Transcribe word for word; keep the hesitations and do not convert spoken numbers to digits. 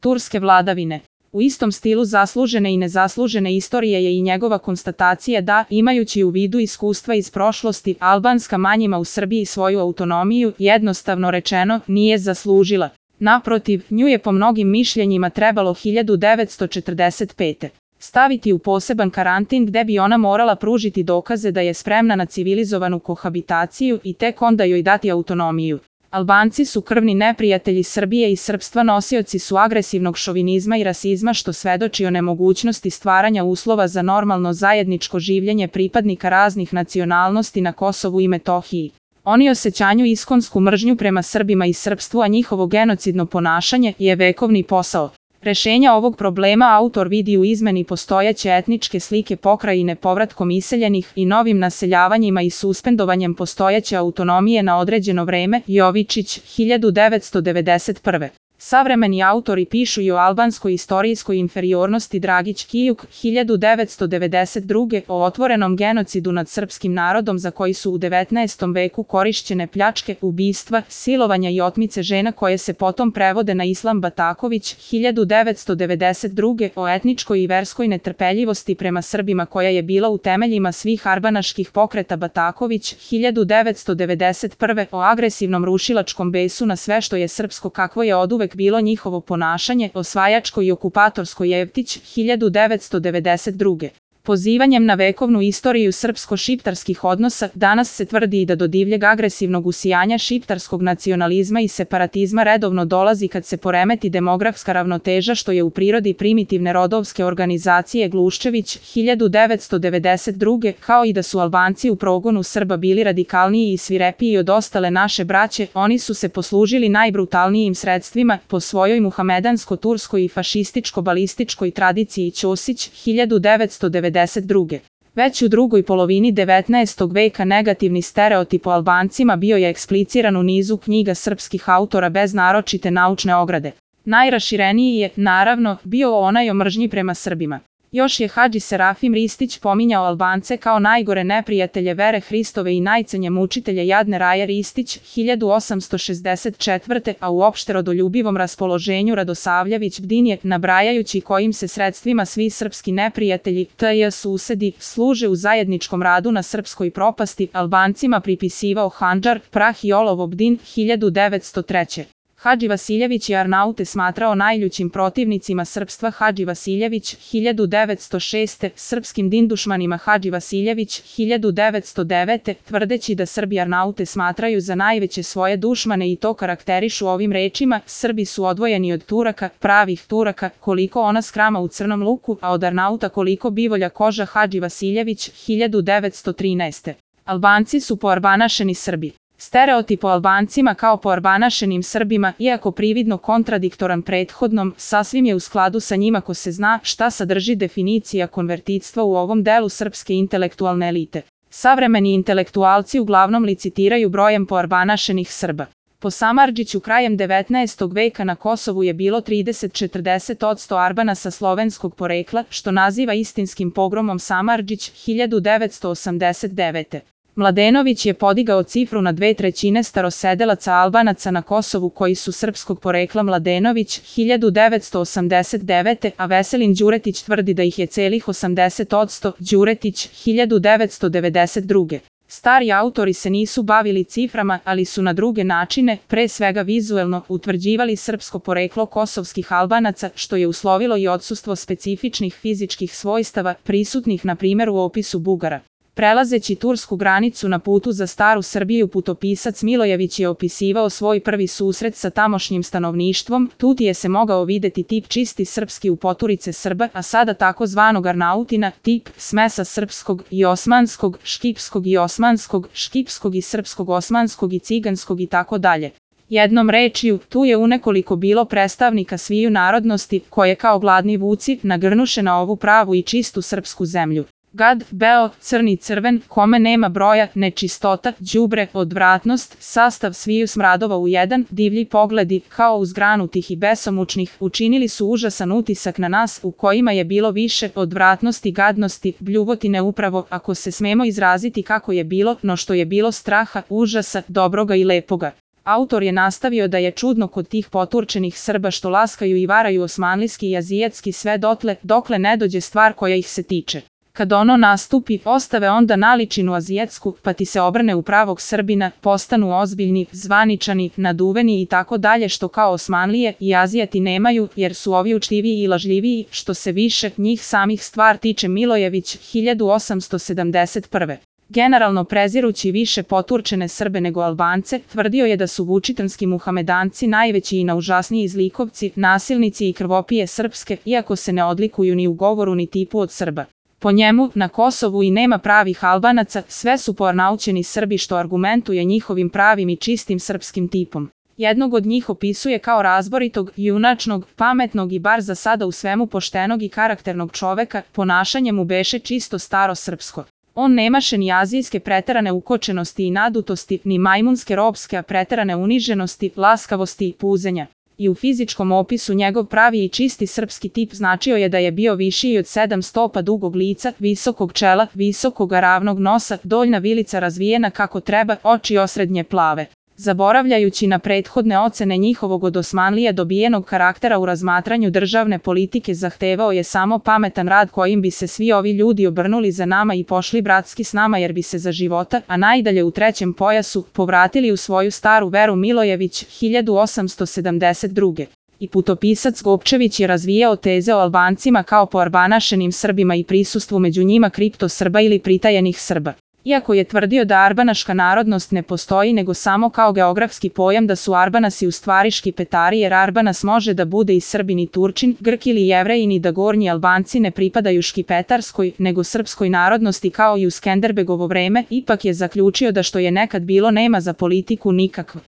turske vladavine. U istom stilu zaslužene i nezaslužene istorije je i njegova konstatacija da, imajući u vidu iskustva iz prošlosti, albanska manjina u Srbiji svoju autonomiju, jednostavno rečeno, nije zaslužila. Naprotiv, nju je po mnogim mišljenjima trebalo hiljadu devetsto četrdeset pete. staviti u poseban karantin gde bi ona morala pružiti dokaze da je spremna na civilizovanu kohabitaciju i tek onda joj dati autonomiju. Albanci su krvni neprijatelji Srbije i srpstva, nosioci su agresivnog šovinizma i rasizma, što svedoči o nemogućnosti stvaranja uslova za normalno zajedničko življenje pripadnika raznih nacionalnosti na Kosovu i Metohiji. Oni osjećanju iskonsku mržnju prema Srbima i srpstvu, a njihovo genocidno ponašanje je vekovni posao. Rešenja ovog problema autor vidi u izmeni postojeće etničke slike pokrajine povratkom iseljenih i novim naseljavanjima i suspendovanjem postojeće autonomije na određeno vreme. Jovičić, hiljadu devetsto devedeset prve. Savremeni autori pišu i o albanskoj istorijskoj inferiornosti. Dragić Kijuk, hiljadu devetsto devedeset druge. o otvorenom genocidu nad srpskim narodom za koji su u devetnaestom veku korišćene pljačke, ubistva, silovanja i otmice žena koje se potom prevode na islam. Bataković, hiljadu devetsto devedeset druge. o etničkoj i verskoj netrpeljivosti prema Srbima koja je bila u temeljima svih arbanaških pokreta. Bataković, hiljadu devetsto devedeset prve. o agresivnom rušilačkom besu na sve što je srpsko kakvo je oduvek bilo njihovo ponašanje. Osvajačko i okupatorsko. Jevtić, hiljadu devetsto devedeset druge. Pozivanjem na vekovnu istoriju srpsko-šiptarskih odnosa, danas se tvrdi i da do divljeg agresivnog usijanja šiptarskog nacionalizma i separatizma redovno dolazi kad se poremeti demografska ravnoteža, što je u prirodi primitivne rodovske organizacije. Gluščević, hiljadu devetsto devedeset druge. Kao i da su Albanci u progonu Srba bili radikalniji i svirepiji od ostale naše braće, oni su se poslužili najbrutalnijim sredstvima po svojoj muhamedansko-turskoj i fašističko-balističkoj tradiciji. Ćosić, hiljadu devetsto devedeset druge. Već u drugoj polovini devetnaestog veka negativni stereotip o Albancima bio je ekspliciran u nizu knjiga srpskih autora bez naročite naučne ograde. Najrašireniji je, naravno, bio onaj o mržnji prema Srbima. Još je Hadži Serafim Ristić pominjao Albance kao najgore neprijatelje vere Hristove i najcenje mučitelje jadne Raje Ristić, hiljadu osamsto šezdeset četvrte. a u opšte rodoljubivom raspoloženju Radosavljević Bdinje, nabrajajući kojim se sredstvima svi srpski neprijatelji, tj. susedi, služe u zajedničkom radu na srpskoj propasti, Albancima pripisivao Handžar, Prah i olovo. Bdin, hiljadu devetsto treće. Hadži Vasiljević je Arnaute smatrao najljućim protivnicima srpstva. Hadži Vasiljević, hiljadu devetsto šeste. Srpskim dindušmanima. Hadži Vasiljević, hiljadu devetsto devete. tvrdeći da Srbi Arnaute smatraju za najveće svoje dušmane i to karakterišu ovim rečima: Srbi su odvojeni od Turaka, pravih Turaka, koliko ona skrama u crnom luku, a od Arnauta koliko bivolja koža. Hadži Vasiljević, hiljadu devetsto trinaeste. Albanci su poarbanašeni Srbi. Stereotip o Albancima kao poarbanašenim Srbima, iako prividno kontradiktoran prethodnom, sasvim je u skladu sa njima ako se zna šta sadrži definicija konvertitstva u ovom delu srpske intelektualne elite. Savremeni intelektualci uglavnom licitiraju brojem poarbanašenih Srba. Po Samardžiću krajem devetnaestog veka na Kosovu je bilo trideset do četrdeset posto Arbana sa slovenskog porekla, što naziva istinskim pogromom Samardžić, hiljadu devetsto osamdeset devete. Mladenović je podigao cifru na dve trećine starosedelaca Albanaca na Kosovu koji su srpskog porekla. Mladenović, hiljadu devetsto osamdeset devete. a Veselin Đuretić tvrdi da ih je celih osamdeset posto. Đuretić, hiljadu devetsto devedeset druge. Stari autori se nisu bavili ciframa, ali su na druge načine, pre svega vizuelno, utvrđivali srpsko poreklo kosovskih Albanaca, što je uslovilo i odsustvo specifičnih fizičkih svojstava, prisutnih na primjer u opisu Bugara. Prelazeći tursku granicu na putu za staru Srbiju, putopisac Milojević je opisivao svoj prvi susret sa tamošnjim stanovništvom. Tutije se mogao videti tip čisti srpski u poturice Srba, a sada tako zvanog Arnautina, tip smesa srpskog i osmanskog, škipskog i osmanskog, škipskog i srpskog, osmanskog i ciganskog i tako dalje. Jednom rečju, tu je unekoliko bilo predstavnika sviju narodnosti, koje kao gladni vuci nagrnuše na ovu pravu i čistu srpsku zemlju. Gad, beo, crni crven, kome nema broja, nečistota, đubre, odvratnost, sastav sviju smradova u jedan, divlji pogledi, kao uzgranutih i besomučnih, učinili su užasan utisak na nas, u kojima je bilo više odvratnosti, gadnosti, bljuvotine upravo, ako se smemo izraziti kako je bilo, no što je bilo straha, užasa, dobroga i lepoga. Autor je nastavio da je čudno kod tih poturčenih Srba što laskaju i varaju osmanlijski i azijatski sve dotle, dokle ne dođe stvar koja ih se tiče. Kad ono nastupi, ostave onda naličinu azijatsku, pa ti se obrne u pravog Srbina, postanu ozbiljni, zvaničani, naduveni i tako dalje što kao Osmanlije i Azijati nemaju, jer su ovi učtiviji i lažljiviji, što se više njih samih stvar tiče. Milojević, hiljadu osamsto sedamdeset prve. Generalno prezirući više poturčene Srbe nego Albance, tvrdio je da su vučitanski muhamedanci najveći i naužasniji zlikovci, nasilnici i krvopije srpske, iako se ne odlikuju ni u govoru ni tipu od Srba. Po njemu, na Kosovu i nema pravih Albanaca, sve su pornaučeni Srbi što argumentuje njihovim pravim i čistim srpskim tipom. Jednog od njih opisuje kao razboritog, junačnog, pametnog i bar za sada u svemu poštenog i karakternog čoveka, ponašanje mu beše čisto staro srpsko. On nemaše ni azijske preterane ukočenosti i nadutosti, ni majmunske ropske a preterane uniženosti, laskavosti i puzenja. I u fizičkom opisu njegov pravi i čisti srpski tip značio je da je bio višiji od sedam stopa dugog lica, visokog čela, visokog ravnog nosa, doljna vilica razvijena kako treba, oči osrednje plave. Zaboravljajući na prethodne ocene njihovog od Osmanlije dobijenog karaktera u razmatranju državne politike, zahtevao je samo pametan rad kojim bi se svi ovi ljudi obrnuli za nama i pošli bratski s nama jer bi se za života, a najdalje u trećem pojasu, povratili u svoju staru veru. Milojević, hiljadu osamsto sedamdeset druge. I putopisac Gopčević je razvijao teze o Albancima kao poarbanašenim Srbima i prisustvu među njima kripto Srba ili pritajenih Srba. Iako je tvrdio da arbanaška narodnost ne postoji nego samo kao geografski pojam, da su Arbanasi u stvari škipetari jer Arbanas može da bude i Srbin i Turčin, Grk ili Jevrejin i da gornji Albanci ne pripadaju škipetarskoj nego srpskoj narodnosti kao i u Skenderbegovo vreme, ipak je zaključio da što je nekad bilo nema za politiku nikakva.